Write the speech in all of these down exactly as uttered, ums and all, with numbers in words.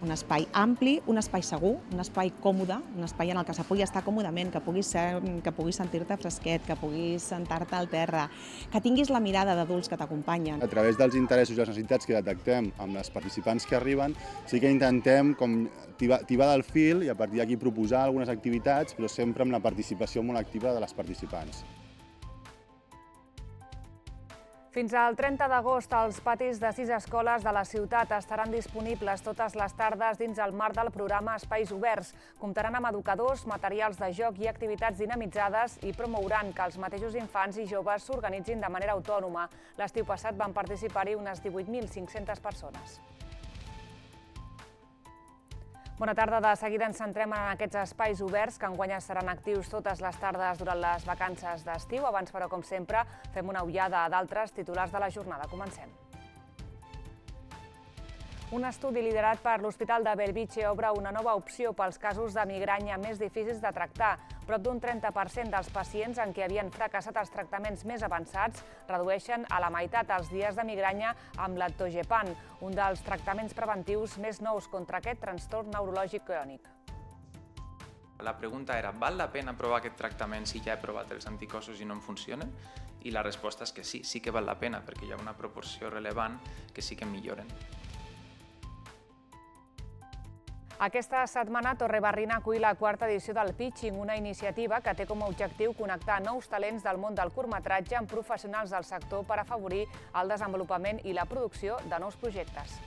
Un espai ampli, un espai segur, un espai còmode, un espai en el que se pugui estar còmodament, que puguis, ser, que puguis sentir-te fresquet, que puguis sentar-te al terra, que tinguis la mirada d'adults que t'acompanyen. A través dels interessos i les necessitats que detectem amb les participants que arriben, sí que intentem com tibar, tibar del fil i a partir d'aquí proposar algunes activitats, però sempre amb la participació molt activa de les participants. Fins al trenta d'agost, els patis de sis escoles de la ciutat estaran disponibles totes les tardes dins el marc del programa Espais Oberts. Comptaran amb educadors, materials de joc i activitats dinamitzades i promouran que els mateixos infants i joves s'organitzin de manera autònoma. L'estiu passat van participar-hi unes divuit mil cinc-centes persones. Bona tarda. De seguida ens centrem en aquests espais oberts que enguany seran actius totes les tardes durant les vacances d'estiu. Abans, però, com sempre, fem una ullada a d'altres titulars de la jornada. Comencem. Un estudi liderat per l'Hospital de Bellvitge obre una nova opció pels casos de migranya més difícils de tractar. Prop d'un trenta per cent dels pacients en què havien fracassat els tractaments més avançats redueixen a la meitat els dies de migranya amb l'Atogepant, un dels tractaments preventius més nous contra aquest trastorn neurològic crònic. La pregunta era, val la pena provar aquest tractament si ja he provat els anticossos i no em funcionen? I la resposta és que sí, sí que val la pena, perquè hi ha una proporció rellevant que sí que milloren. Aquesta setmana Torrebarrina acull la quarta edició del Pitching, una iniciativa que té com a objectiu connectar nous talents del món del curtmetratge amb professionals del sector per afavorir el desenvolupament i la producció de nous projectes.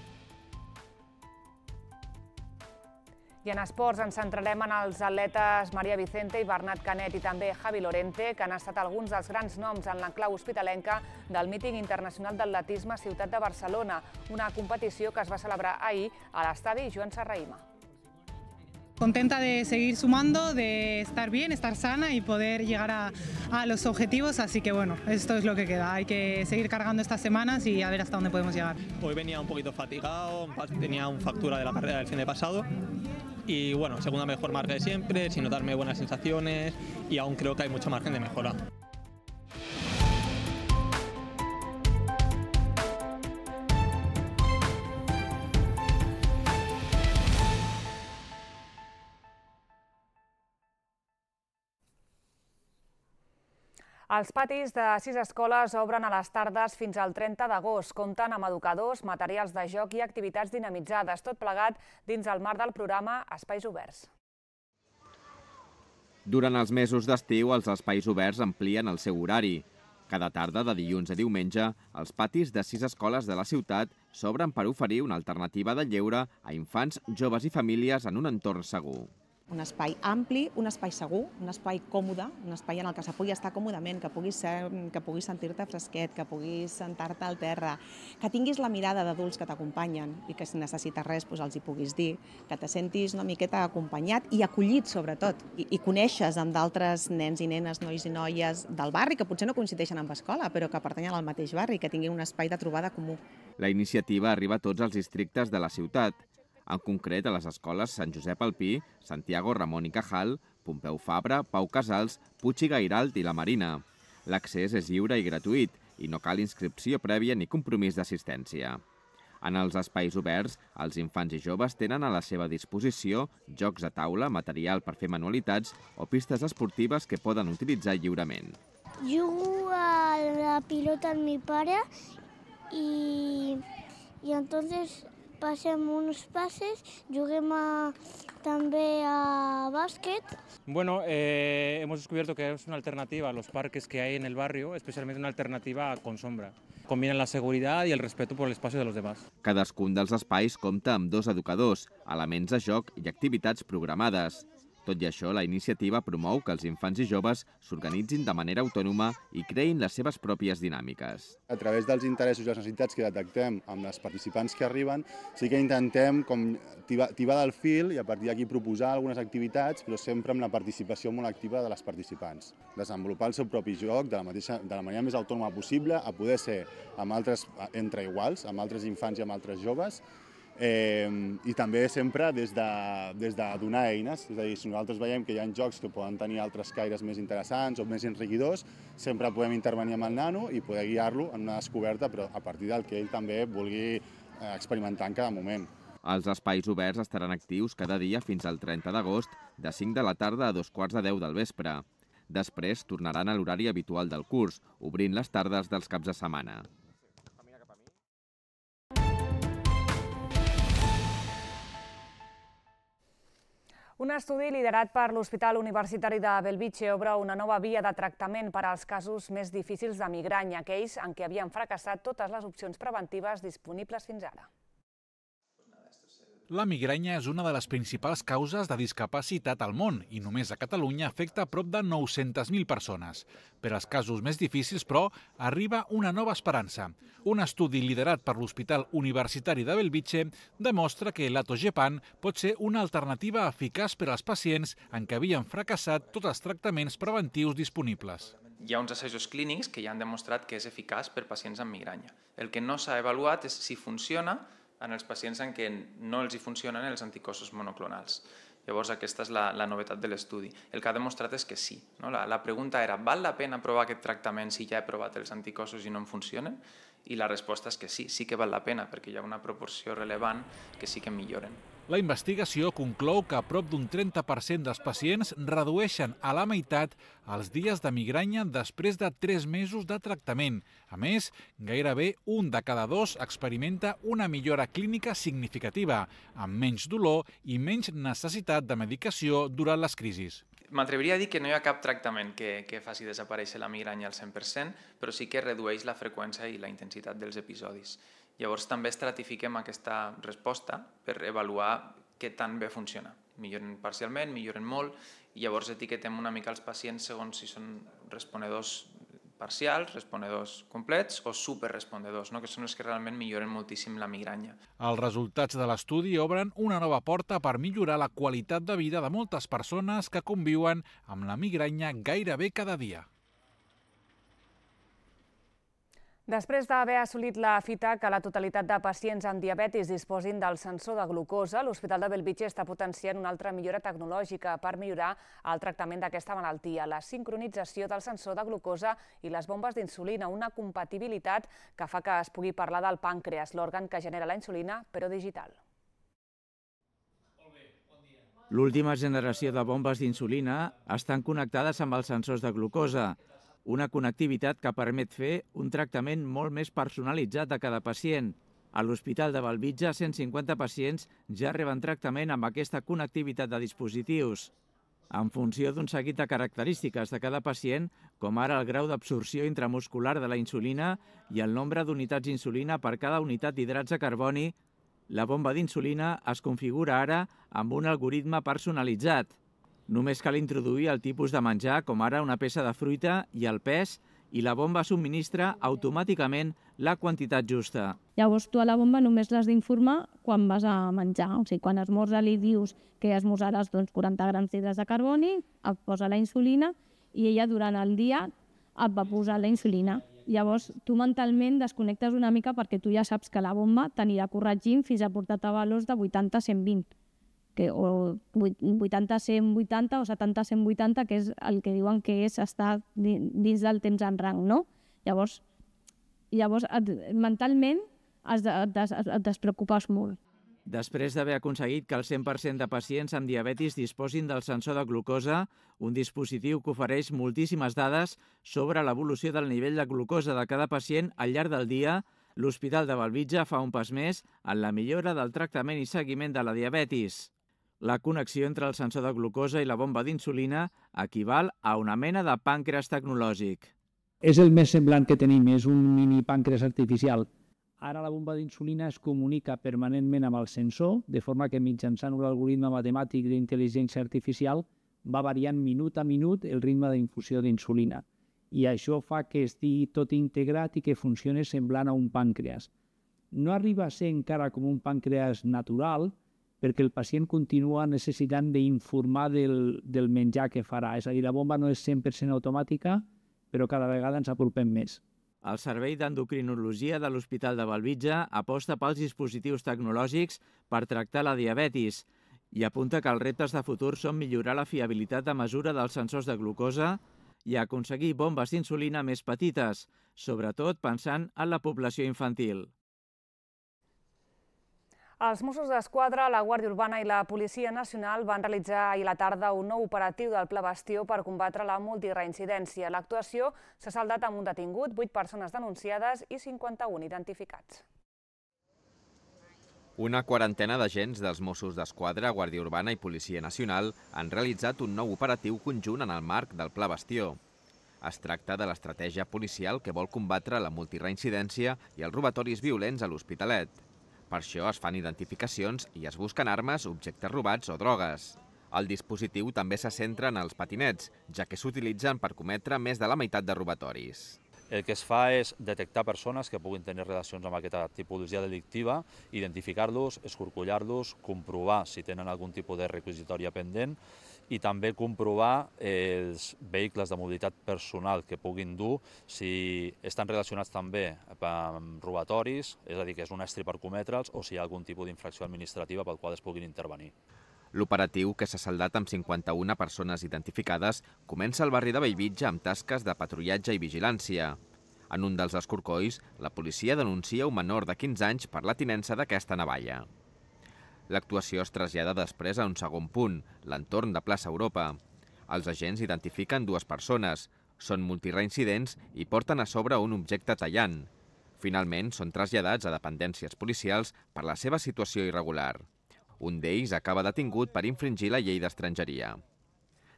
I en esports ens centrarem en els atletes Maria Vicente i Bernat Canet i també Javi Lorente, que han estat alguns dels grans noms en l'enclau hospitalenca del míting internacional d'atletisme Ciutat de Barcelona, una competició que es va celebrar ahir a l'estadi Joan Serrahima. Contenta de seguir sumando, de estar bien, estar sana y poder llegar a, a los objetivos, así que bueno, esto es lo que queda. Hay que seguir cargando estas semanas y a ver hasta dónde podemos llegar. Hoy venía un poquito fatigado, tenía una fractura de la carrera del fin de pasado y bueno, segunda mejor marca de siempre, sin notarme buenas sensaciones y aún creo que hay mucho margen de mejora. Els patis de sis escoles obren a les tardes fins al trenta d'agost. Compten amb educadors, materials de joc i activitats dinamitzades, tot plegat dins el marc del programa Espais Oberts. Durant els mesos d'estiu, els espais oberts amplien el seu horari. Cada tarda, de dilluns a diumenge, els patis de sis escoles de la ciutat s'obren per oferir una alternativa de lleure a infants, joves i famílies en un entorn segur. Un espai ampli, un espai segur, un espai còmode, un espai en el que se pugui estar còmodament, que puguis, ser, que puguis sentir-te fresquet, que puguis sentar-te al terra, que tinguis la mirada d'adults que t'acompanyen i que si necessites res doncs els hi puguis dir, que te sentis una miqueta acompanyat i acollit sobretot, i, i coneixes amb d'altres nens i nenes, nois i noies del barri que potser no coincideixen amb escola, però que pertanyen al mateix barri, que tinguin un espai de trobada comú. La iniciativa arriba a tots els districtes de la ciutat, en concret a les escoles Sant Josep Alpí, Santiago Ramon i Cajal, Pompeu Fabra, Pau Casals, Puig i Gairalt i la Marina. L'accés és lliure i gratuït i no cal inscripció prèvia ni compromís d'assistència. En els espais oberts, els infants i joves tenen a la seva disposició jocs a taula, material per fer manualitats o pistes esportives que poden utilitzar lliurement. Jugo a la pilota amb mi pare i, i entonces passem uns passes, juguem a, també a básquet. Bueno, eh, hemos descubierto que es una alternativa a los parques que hay en el barrio, especialmente una alternativa con sombra. Combinan la seguridad y el respeto por el espacio de los demás. Cadascun dels espais compta amb dos educadors, elements de joc i activitats programades. Tot i això, la iniciativa promou que els infants i joves s'organitzin de manera autònoma i creïn les seves pròpies dinàmiques. A través dels interessos i les necessitats que detectem amb les participants que arriben, sí que intentem com tibar, tibar del fil i a partir d'aquí proposar algunes activitats, però sempre amb la participació molt activa de les participants. Desenvolupar el seu propi joc de la, mateixa, de la manera més autònoma possible, a poder ser amb altres, entre iguals, amb altres infants i amb altres joves, Eh, i també sempre des de, des de donar eines, és a dir, si nosaltres veiem que hi ha jocs que poden tenir altres caires més interessants o més enriquidors, sempre podem intervenir amb el nano i poder guiar-lo en una descoberta, però a partir del que ell també vulgui experimentar en cada moment. Els espais oberts estaran actius cada dia fins al trenta d'agost, de cinc de la tarda a dos quarts de deu del vespre. Després tornaran a l'horari habitual del curs, obrint les tardes dels caps de setmana. Un estudi liderat per l'Hospital Universitari de Bellvitge obre una nova via de tractament per als casos més difícils de migranya, aquells en què havien fracassat totes les opcions preventives disponibles fins ara. La migranya és una de les principals causes de discapacitat al món i només a Catalunya afecta a prop de nou-centes mil persones. Per als casos més difícils, però, arriba una nova esperança. Un estudi liderat per l'Hospital Universitari de Bellvitge demostra que l'atogepant pot ser una alternativa eficaç per als pacients en què havien fracassat tots els tractaments preventius disponibles. Hi ha uns assajos clínics que ja han demostrat que és eficaç per pacients amb migranya. El que no s'ha avaluat és si funciona en els pacients en què no els hi funcionen els anticossos monoclonals. Llavors, aquesta és la, la novetat de l'estudi. El que ha demostrat és que sí. No? La, la pregunta era, val la pena provar aquest tractament si ja he provat els anticossos i no em funcionen? I la resposta és que sí, sí que val la pena, perquè hi ha una proporció rellevant que sí que milloren. La investigació conclou que a prop d'un trenta per cent dels pacients redueixen a la meitat els dies de migranya després de tres mesos de tractament. A més, gairebé un de cada dos experimenta una millora clínica significativa, amb menys dolor i menys necessitat de medicació durant les crisis. M'atreviria a dir que no hi ha cap tractament que, que faci desaparèixer la migranya al cent per cent, però sí que redueix la freqüència i la intensitat dels episodis. Llavors també estratifiquem aquesta resposta per avaluar què tan bé funciona. Milloren parcialment, milloren molt, i llavors etiquetem una mica els pacients segons si són respondedors parcials, respondedors complets o superrespondedors, no? Que són els que realment milloren moltíssim la migranya. Els resultats de l'estudi obren una nova porta per millorar la qualitat de vida de moltes persones que conviuen amb la migranya gairebé cada dia. Després d'haver assolit la fita que la totalitat de pacients amb diabetis disposin del sensor de glucosa, l'Hospital de Bellvitge està potenciant una altra millora tecnològica per millorar el tractament d'aquesta malaltia, la sincronització del sensor de glucosa i les bombes d'insulina, una compatibilitat que fa que es pugui parlar del pàncreas, l'òrgan que genera la insulina, però digital. L'última generació de bombes d'insulina estan connectades amb els sensors de glucosa, una connectivitat que permet fer un tractament molt més personalitzat a cada pacient. A l'Hospital de Bellvitge, cent cinquanta pacients ja reben tractament amb aquesta connectivitat de dispositius. En funció d'un seguit de característiques de cada pacient, com ara el grau d'absorció intramuscular de la insulina i el nombre d'unitats d'insulina per cada unitat d'hidrats de carboni, la bomba d'insulina es configura ara amb un algoritme personalitzat. Només cal introduir el tipus de menjar, com ara una peça de fruita, i el pes, i la bomba subministra automàticament la quantitat justa. Llavors tu a la bomba només l'has d'informar quan vas a menjar. O sigui, quan esmorza li dius que esmorzaràs doncs, quaranta grams d'hidrats de carboni, et posa la insulina i ella durant el dia et va posar la insulina. Llavors tu mentalment desconnectes una mica perquè tu ja saps que la bomba t'anirà corregint fins a portar-te valors de vuitanta a cent vint. Que, o vuitanta a cent vuitanta o setanta a cent vuitanta, que és el que diuen que és estar dins del temps en rang, no? Llavors, llavors et, mentalment es, et, et despreocupes molt. Després d'haver aconseguit que el cent per cent de pacients amb diabetis disposin del sensor de glucosa, un dispositiu que ofereix moltíssimes dades sobre l'evolució del nivell de glucosa de cada pacient al llarg del dia, l'Hospital de Bellvitge fa un pas més en la millora del tractament i seguiment de la diabetis. La connexió entre el sensor de glucosa i la bomba d'insulina equival a una mena de pàncreas tecnològic. És el més semblant que tenim, és un mini pàncreas artificial. Ara la bomba d'insulina es comunica permanentment amb el sensor, de forma que mitjançant un algoritme matemàtic d'intel·ligència artificial va variant minut a minut el ritme d'infusió d'insulina. I això fa que estigui tot integrat i que funcioni semblant a un pàncreas. No arriba a ser encara com un pàncreas natural, perquè el pacient continua necessitant d'informar del, del menjar que farà. És a dir, la bomba no és cent per cent automàtica, però cada vegada ens apropem més. El Servei d'Endocrinologia de l'Hospital de Bellvitge aposta pels dispositius tecnològics per tractar la diabetis i apunta que els reptes de futur són millorar la fiabilitat de mesura dels sensors de glucosa i aconseguir bombes d'insulina més petites, sobretot pensant en la població infantil. Els Mossos d'Esquadra, la Guàrdia Urbana i la Policia Nacional van realitzar ahir a la tarda un nou operatiu del Pla Bastió per combatre la multireincidència. L'actuació s'ha saldat amb un detingut, vuit persones denunciades i cinquanta-un identificats. Una quarantena d'agents dels Mossos d'Esquadra, Guàrdia Urbana i Policia Nacional han realitzat un nou operatiu conjunt en el marc del Pla Bastió. Es tracta de l'estratègia policial que vol combatre la multireincidència i els robatoris violents a l'Hospitalet. Per això es fan identificacions i es busquen armes, objectes robats o drogues. El dispositiu també se centra en els patinets, ja que s'utilitzen per cometre més de la meitat de robatoris. El que es fa és detectar persones que puguin tenir relacions amb aquesta tipologia delictiva, identificar-los, escorcollar-los, comprovar si tenen algun tipus de requisitòria pendent i també comprovar els vehicles de mobilitat personal que puguin dur, si estan relacionats també amb robatoris, és a dir, que és un estri per cometre'ls, o si hi ha algun tipus d'infracció administrativa pel qual es puguin intervenir. L'operatiu, que s'ha saldat amb cinquanta-una persones identificades, comença al barri de Bellvitge amb tasques de patrullatge i vigilància. En un dels escorcolls, la policia denuncia un menor de quinze anys per la tinença d'aquesta navalla. L'actuació es trasllada després a un segon punt, l'entorn de plaça Europa. Els agents identifiquen dues persones, són multireincidents i porten a sobre un objecte tallant. Finalment, són traslladats a dependències policials per la seva situació irregular. Un d'ells acaba detingut per infringir la llei d'estrangeria.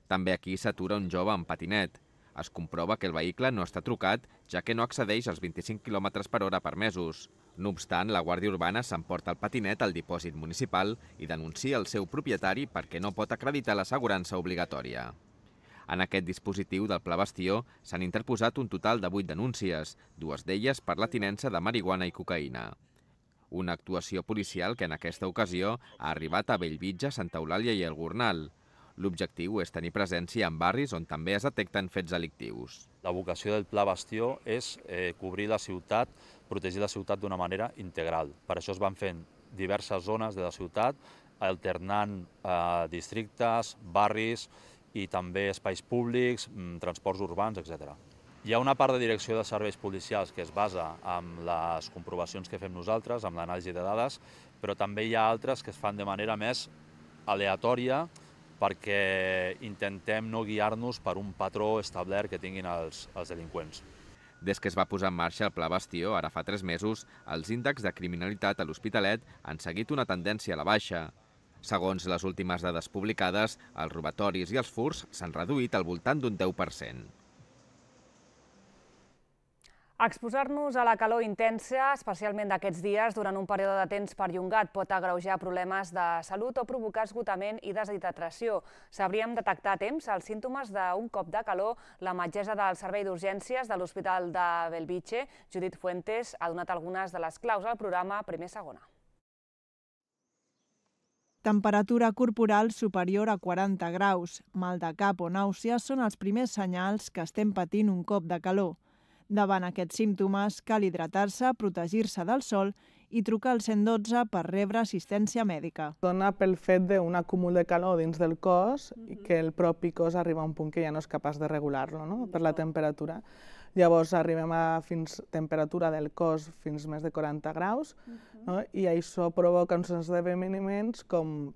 També aquí s'atura un jove amb patinet. Es comprova que el vehicle no està trucat, ja que no excedeix als vint-i-cinc quilòmetres per hora permesos. No obstant, la Guàrdia Urbana s'emporta el patinet al dipòsit municipal i denuncia el seu propietari perquè no pot acreditar l'assegurança obligatòria. En aquest dispositiu del Pla Bastió s'han interposat un total de vuit denúncies, dues d'elles per la tinença de marihuana i cocaïna. Una actuació policial que en aquesta ocasió ha arribat a Bellvitge, Santa Eulàlia i el Gornal. L'objectiu és tenir presència en barris on també es detecten fets delictius. La vocació del Pla Bastió és eh, cobrir la ciutat, protegir la ciutat d'una manera integral. Per això es van fent diverses zones de la ciutat, alternant eh, districtes, barris i també espais públics, transports urbans, etcètera. Hi ha una part de direcció de serveis policials que es basa en les comprovacions que fem nosaltres, amb l'anàlisi de dades, però també hi ha altres que es fan de manera més aleatòria perquè intentem no guiar-nos per un patró establert que tinguin els, els delinqüents. Des que es va posar en marxa el Pla Bastió, ara fa tres mesos, els índexs de criminalitat a l'Hospitalet han seguit una tendència a la baixa. Segons les últimes dades publicades, els robatoris i els furts s'han reduït al voltant d'un deu per cent. Exposar-nos a la calor intensa, especialment d'aquests dies, durant un període de temps perllongat, pot agreujar problemes de salut o provocar esgotament i deshidratació. Sabríem detectar a temps els símptomes d'un cop de calor. La metgessa del Servei d'Urgències de l'Hospital de Bellvitge, Judit Fuentes, ha donat algunes de les claus al programa Primer Segona. Temperatura corporal superior a quaranta graus, mal de cap o nàusees són els primers senyals que estem patint un cop de calor. Davant aquests símptomes, cal hidratar-se, protegir-se del sol i trucar al cent dotze per rebre assistència mèdica. Dona pel fet d'un acúmul de calor dins del cos i que el propi cos arriba a un punt que ja no és capaç de regular-lo, no? Per la temperatura. Llavors arribem a fins temperatura del cos fins més de quaranta graus, no? I això provoca uns esdeveniments com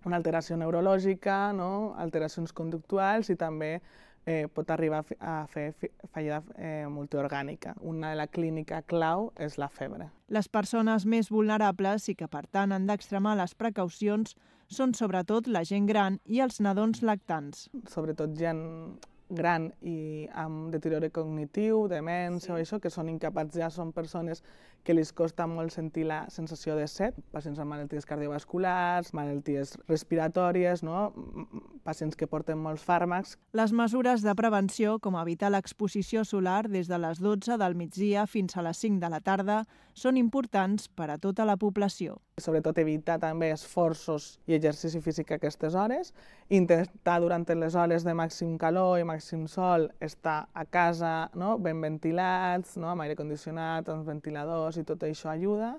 una alteració neurològica, no? Alteracions conductuals i també Eh, pot arribar a fer fallida eh, multiorgànica. Una de la clínica clau és la febre. Les persones més vulnerables i que per tant han d'extremar les precaucions són sobretot la gent gran i els nadons lactants. Sobretot gent gran i amb deteriori cognitiu, demència o això, que són incapaços, ja són persones que els costa molt sentir la sensació de set, pacients amb malalties cardiovasculars, malalties respiratòries, no? Pacients que porten molts fàrmacs. Les mesures de prevenció, com evitar l'exposició solar des de les dotze del migdia fins a les cinc de la tarda, són importants per a tota la població. Sobretot evitar també esforços i exercici físic a aquestes hores, intentar durant les hores de màxim calor i màxim sol estar a casa, no? Ben ventilats, no? Amb aire condicionat, amb ventiladors i tot això ajuda.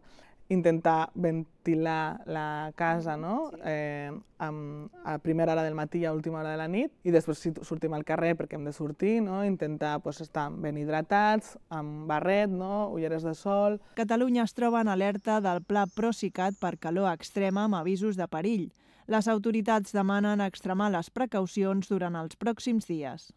intentar ventilar la casa, no? eh, amb, a primera hora del matí i a última hora de la nit, i després si sortim al carrer perquè hem de sortir, no? Intentar pues, estar ben hidratats, amb barret, no? Ulleres de sol. Catalunya es troba en alerta del Pla Procicat per calor extrema amb avisos de perill. Les autoritats demanen extremar les precaucions durant els pròxims dies.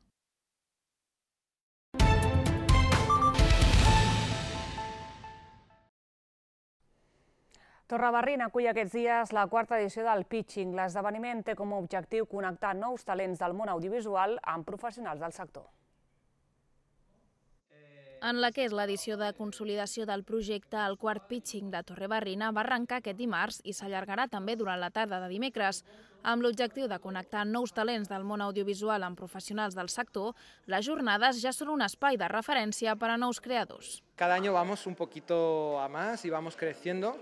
Torrebarrina acull aquests dies la quarta edició del Pitching. L'esdeveniment té com a objectiu connectar nous talents del món audiovisual amb professionals del sector. En la que és l'edició de consolidació del projecte, el quart Pitching de Torrebarrina va arrencar aquest dimarts i s'allargarà també durant la tarda de dimecres. Amb l'objectiu de connectar nous talents del món audiovisual amb professionals del sector, les jornades ja són un espai de referència per a nous creadors. Cada año vamos un poquito a más y vamos creciendo.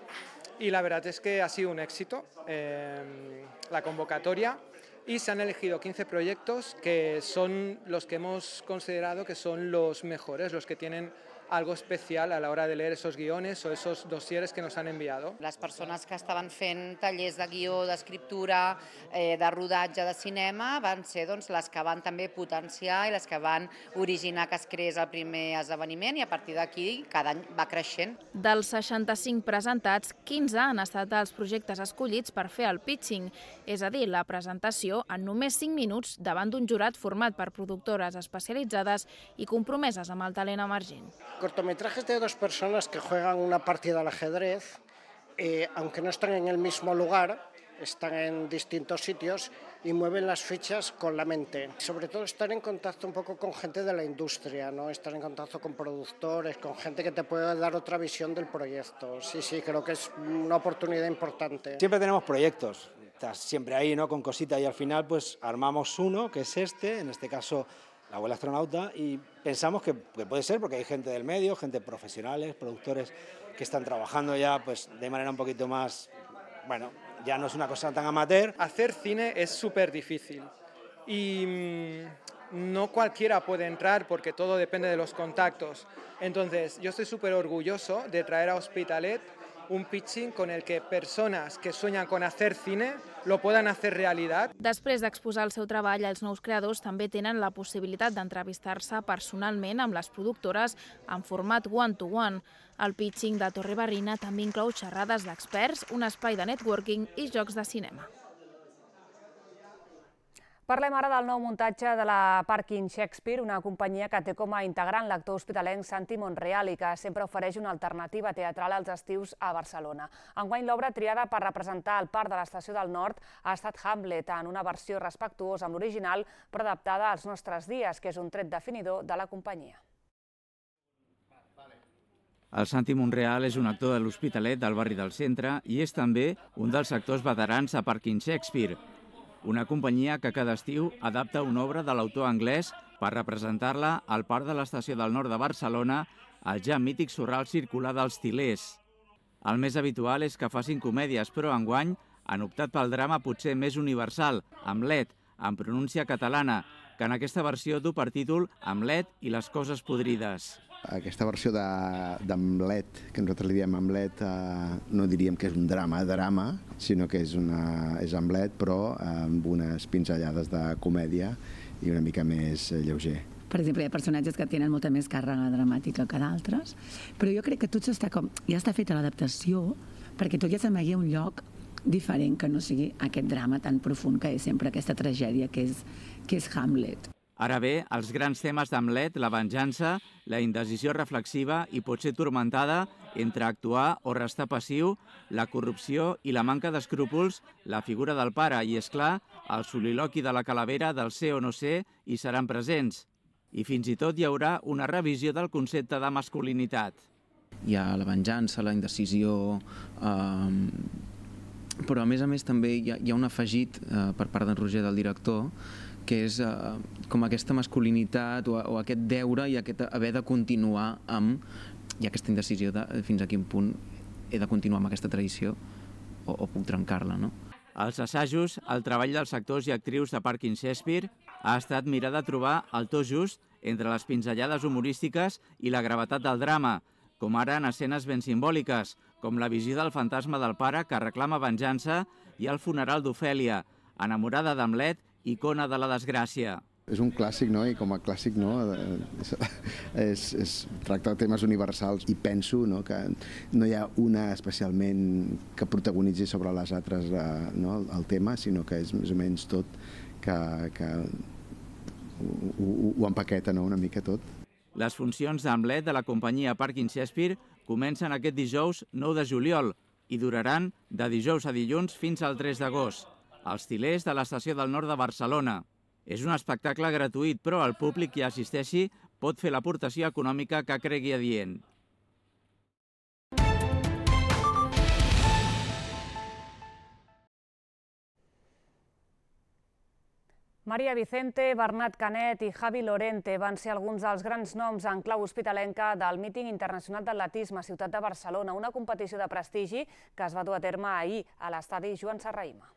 Y la verdad es que ha sido un éxito eh, la convocatoria y se han elegido quince proyectos que son los que hemos considerado que son los mejores, los que tienen algo especial a la hora de leer esos guiones o esos dosieres que nos han enviado. Les persones que estaven fent tallers de guió, d'escriptura, eh, de rodatge de cinema van ser doncs, les que van també potenciar i les que van originar que es creés el primer esdeveniment i a partir d'aquí cada any va creixent. Dels seixanta-cinc presentats, quinze han estat els projectes escollits per fer el pitching, és a dir, la presentació en només cinc minuts davant d'un jurat format per productores especialitzades i compromeses amb el talent emergent. Cortometrajes de dos personas que juegan una partida al ajedrez, eh, aunque no están en el mismo lugar, están en distintos sitios y mueven las fichas con la mente. Sobre todo estar en contacto un poco con gente de la industria, ¿no? Estar en contacto con productores, con gente que te puede dar otra visión del proyecto. Sí, sí, creo que es una oportunidad importante. Siempre tenemos proyectos, estás siempre ahí, ¿no? Con cositas y al final pues armamos uno, que es este, en este caso La abuela astronauta, y pensamos que, que puede ser porque hay gente del medio, gente profesionales, productores que están trabajando ya pues de manera un poquito más, bueno, ya no es una cosa tan amateur. Hacer cine es súper difícil y mmm, no cualquiera puede entrar porque todo depende de los contactos. Entonces yo estoy súper orgulloso de traer a Hospitalet un pitching con el que personas que sueñan con hacer cine lo puedan hacer realidad. Després d'exposar el seu treball, els nous creadors també tenen la possibilitat d'entrevistar-se personalment amb les productores en format one-to-one. El pitching de Torrebarrina també inclou xerrades d'experts, un espai de networking i jocs de cinema. Parlem ara del nou muntatge de la Parking Shakespeare, una companyia que té com a integrant l'actor hospitalenc Santi Monreal i que sempre ofereix una alternativa teatral als estius a Barcelona. Enguany l'obra triada per representar el Parc de l'Estació del Nord ha estat Hamlet, en una versió respectuosa amb l'original però adaptada als nostres dies, que és un tret definidor de la companyia. El Santi Monreal és un actor de l'Hospitalet del barri del centre i és també un dels actors veterans a Parking Shakespeare, una companyia que cada estiu adapta una obra de l'autor anglès per representar-la al Parc de l'Estació del Nord de Barcelona, al ja mític sorral circular dels Til·lers. El més habitual és que facin comèdies, però enguany han optat pel drama potser més universal, Hamlet, en pronúncia catalana, que en aquesta versió du per títol Hamlet i les coses podrides. Aquesta versió d'Hamlet, que nosaltres li diem Hamlet, eh, no diríem que és un drama, drama, sinó que és, una, és Hamlet, però amb unes pinzellades de comèdia i una mica més lleuger. Per exemple, hi ha personatges que tenen molta més càrrega dramàtica que d'altres, però jo crec que tot està com, ja està feta l'adaptació perquè tot ja s'amagui a un lloc diferent que no sigui aquest drama tan profund que és sempre aquesta tragèdia que és, que és Hamlet. Ara bé, els grans temes d'Hamlet, la venjança, la indecisió reflexiva i potser turmentada entre actuar o restar passiu, la corrupció i la manca d'escrúpols, la figura del pare i, és clar, el soliloqui de la calavera del ser o no ser hi seran presents. I fins i tot hi haurà una revisió del concepte de masculinitat. Hi ha la venjança, la indecisió, eh, però a més a més també hi ha, hi ha un afegit eh, per part d'en Roger, del director, que és eh, com aquesta masculinitat o, o aquest deure i aquest haver de continuar amb, i aquesta indecisió de fins a quin punt he de continuar amb aquesta tradició o, o puc trencar-la, no? Als assajos, el treball dels actors i actrius de Parking Shakespeare ha estat mirar de trobar el to just entre les pinzellades humorístiques i la gravetat del drama, com ara en escenes ben simbòliques, com la visió del fantasma del pare que reclama venjança i el funeral d'Ofèlia, enamorada d'Hamlet, icona de la desgràcia. És un clàssic, no? I com a clàssic, no? és, és, tracta temes universals i penso, no? Que no hi ha una especialment que protagonitzi sobre les altres, no? El tema, sinó que és més o menys tot que, que ho, ho, ho empaqueta, no? Una mica tot. Les funcions d'Hamlet de la companyia Parkin Shakespeare comencen aquest dijous nou de juliol i duraran de dijous a dilluns fins al tres d'agost, als Til·lers de l'Estació del Nord de Barcelona. És un espectacle gratuït, però el públic que assisteixi pot fer l'aportació econòmica que cregui adient. Maria Vicente, Bernat Canet i Javi Lorente van ser alguns dels grans noms en clau hospitalenca del míting internacional d'atletisme a Ciutat de Barcelona, una competició de prestigi que es va dur a terme ahir a l'estadi Joan Serrahima.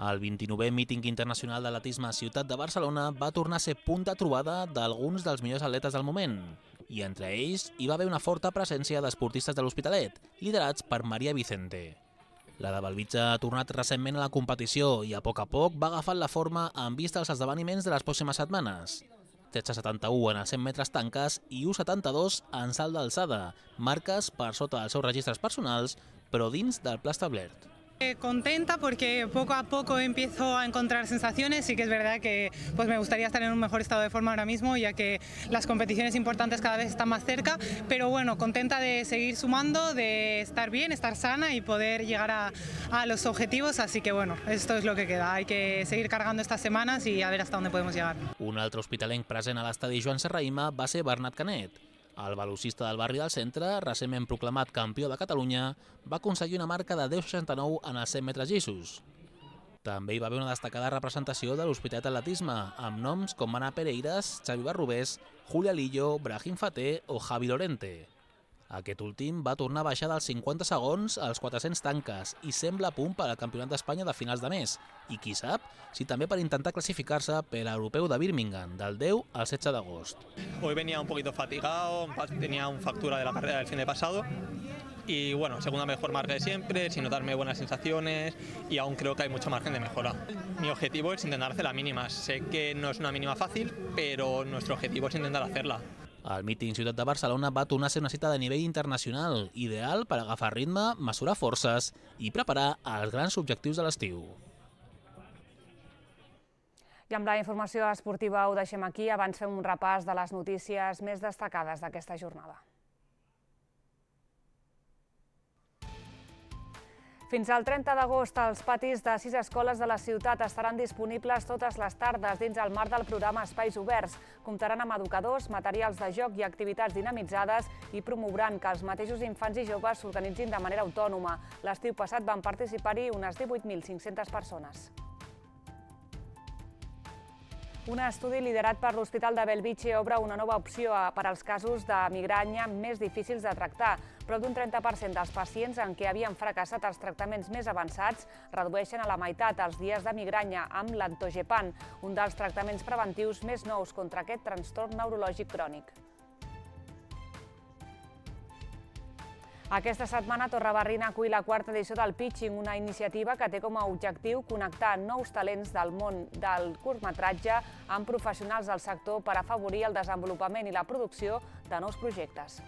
El vint-i-novè míting internacional d'atletisme a Ciutat de Barcelona va tornar a ser punt de trobada d'alguns dels millors atletes del moment. I entre ells hi va haver una forta presència d'esportistes de l'Hospitalet, liderats per Maria Vicente. La de Belvitge ha tornat recentment a la competició i a poc a poc va agafant la forma en vista als esdeveniments de les pròximes setmanes. tretze setanta-u en els cent metres tanques i u setanta-dos en salt d'alçada, marques per sota dels seus registres personals, però dins del pla establert. Contenta porque poco a poco empiezo a encontrar sensaciones. Sí que es verdad que pues me gustaría estar en un mejor estado de forma ahora mismo, ya que las competiciones importantes cada vez están más cerca, pero bueno, contenta de seguir sumando, de estar bien, estar sana y poder llegar a, a los objetivos, así que bueno, esto es lo que queda. Hay que seguir cargando estas semanas y a ver hasta dónde podemos llegar. Un altre hospitalenc present a l'estadi Joan Serrahima va ser Bernat Canet. El velocista del barri del centre, recentment proclamat campió de Catalunya, va aconseguir una marca de deu seixanta-nou en els cent metres llisos. També hi va haver una destacada representació de l'Hospitalet d'Atletisme, amb noms com Ana Pereiras, Xavi Barrubés, Julia Lillo, Brahim Faté o Javi Lorente. Aquest últim va tornar a baixar dels cinquanta segons als quatre-cents tanques i sembla a punt per al Campionat d'Espanya de finals de mes. I qui sap si també per intentar classificar-se per a l'Europeu de Birmingham, del deu al setze d'agost. Hoy venía un poquito fatigado, tenía una factura de la carrera del fin de pasado y bueno, segunda mejor marca de siempre, sin notarme buenas sensaciones y aún creo que hay mucho margen de mejora. Mi objetivo es intentar hacer la mínima. Sé que no es una mínima fácil, pero nuestro objetivo es intentar hacerla. El míting Ciutat de Barcelona va tornar a ser una cita de nivell internacional, ideal per agafar ritme, mesurar forces i preparar els grans objectius de l'estiu. I amb la informació esportiva ho deixem aquí. Abans fem un repàs de les notícies més destacades d'aquesta jornada. Fins al trenta d'agost, els patis de sis escoles de la ciutat estaran disponibles totes les tardes dins el marc del programa Espais Oberts. Comptaran amb educadors, materials de joc i activitats dinamitzades i promouran que els mateixos infants i joves s'organitzin de manera autònoma. L'estiu passat van participar-hi unes divuit mil cinc-centes persones. Un estudi liderat per l'Hospital de Bellvitge obre una nova opció per als casos de migranya més difícils de tractar. Prop d'un trenta per cent dels pacients en què havien fracassat els tractaments més avançats redueixen a la meitat els dies de migranya amb l'Antogepan, un dels tractaments preventius més nous contra aquest trastorn neurològic crònic. Aquesta setmana Torrebarrina acull la quarta edició del Pitching, una iniciativa que té com a objectiu connectar nous talents del món del curtmetratge amb professionals del sector per afavorir el desenvolupament i la producció de nous projectes.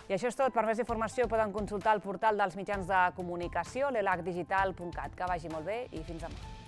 I això és tot. Per més informació poden consultar el portal dels mitjans de comunicació, l'elac digital punt cat. Que vagi molt bé i fins demà.